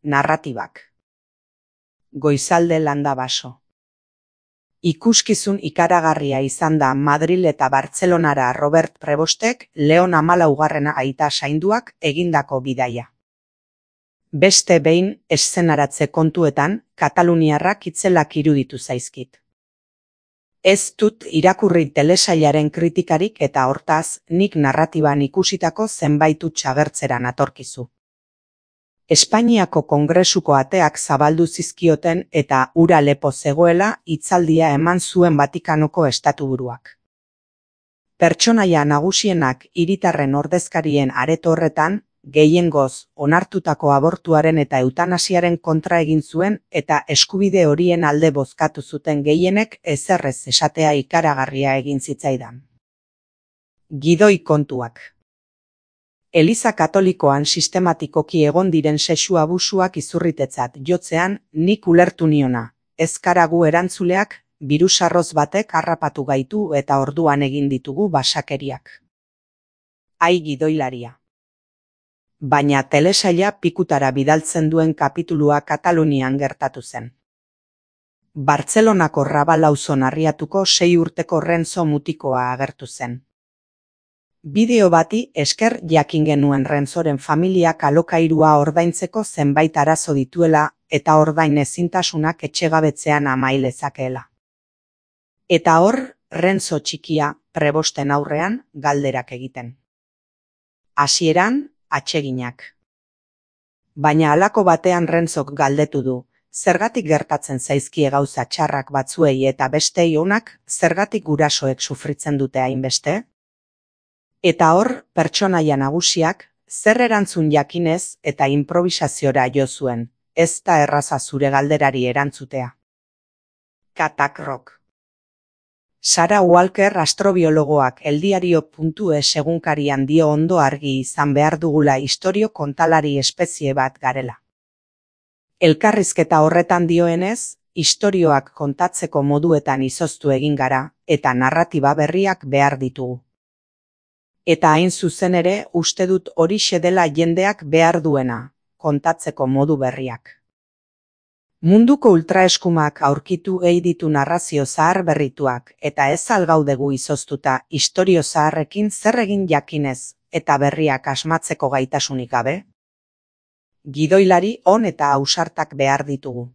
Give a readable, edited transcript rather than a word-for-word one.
narratibak. Goizalde Landabaso. Ikuskizun ikaragarria izan da Madril eta Bartzelonara Robert Prebostek Leon 14. aita zainduak egindako bidaia. Beste behin eszenaratze kontuetan kataluniarrak itzelak iruditu zaizkit. Ez dut irakurri telesailaren kritikarik eta hortaz nik narratiban ikusitako zenbait huts agertzeran atorkizu. Espainiako Kongresuko ateak zabaldu zizkioten eta ura lepo zegoela hitzaldia eman zuen Vatikanoko estatuburuak. Pertsonaia nagusienak hiritarren ordezkarien areto horretan, gehiengoz onartutako abortuaren eta eutanasiaren kontra egin zuen eta eskubide horien alde bozkatu zuten gehienek ezerrez esatea ikaragarria egin zitzaidan. Gidoi kontuak. Eliza Katolikoan sistematikoki egon diren sexu abusuak izurritetzat jotzean nik ulertu niona, ez gara gu erantzuleak, birusarroz batek harrapatu gaitu eta orduan egin ditugu basakeriak. Ai gidoilaria. Baina telesaila pikutara bidaltzen duen kapitulua Katalunian gertatu zen. Bartzelonako Rabal auzon Arriatuko 6 urteko Renzo mutikoa agertu zen. Bideo bati esker jakin genuen Renzoren familiak alokairua ordaintzeko zenbait arazo dituela eta ordain ezintasunak etxegabetzean amai lezakeela. Eta hor, Renzo txikia, Prebosten aurrean, galderak egiten. Hasieran, atseginak. Baina halako batean Renzok galdetu du, zergatik gertatzen zaizkie gauza txarrak batzuei eta bestei onak, zergatik gurasoek sufritzen dute hainbeste? Eta hor, pertsonaia nagusiak, zer erantzun jakinez eta improvisaziora jo zuen, ez da erraza zure galderari erantzutea. Katakrok. Sarah Walker astrobiologoak eldiario.es egunkarian dio ondo argi izan behar dugula istorio kontalari espezie bat garela. Elkarrizketa horretan dioenez, istorioak kontatzeko moduetan izoztu egin gara eta narratiba berriak behar ditugu. Eta hain zuzen ere uste dut horixe dela jendeak behar duena, kontatzeko modu berriak. Munduko ultraeskumak aurkitu ditu narrazio zahar berrituak eta ez algaudegu izoztuta istorio zaharrekin zer egin jakinez eta berriak asmatzeko gaitasunik gabe? Gidoilari on eta ausartak behar ditugu.